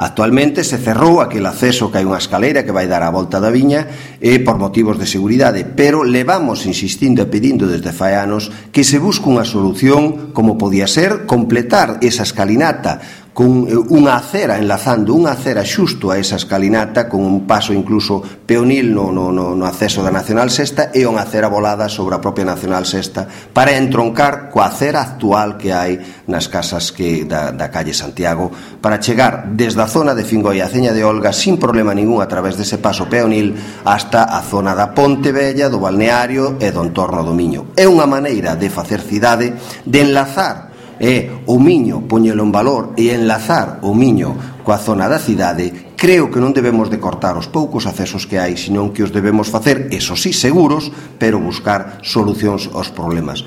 Actualmente se cerrou aquel acceso que hai unha escaleira que vai dar a volta da viña por motivos de seguridade, pero levamos insistindo e pedindo desde fai anos que se busque unha solución como podía ser completar esa escalinata con unha acera, enlazando unha acera xusto a esa escalinata con un paso incluso peonil no acceso da Nacional Sexta e unha acera volada sobre a propia Nacional Sexta para entroncar coa acera actual que hai nas casas da calle Santiago para chegar desde a zona de Fingoi a Ceña de Olga sin problema ningún a través dese paso peonil hasta a zona da Ponte Vella, do balneario e do entorno do Miño. É unha maneira de facer cidade, de enlazar o Miño, poñelo en valor e enlazar o Miño coa zona da cidade. Creo que non debemos de cortar os poucos accesos que hai, senón que os debemos facer, eso sí, seguros, pero buscar solucións aos problemas.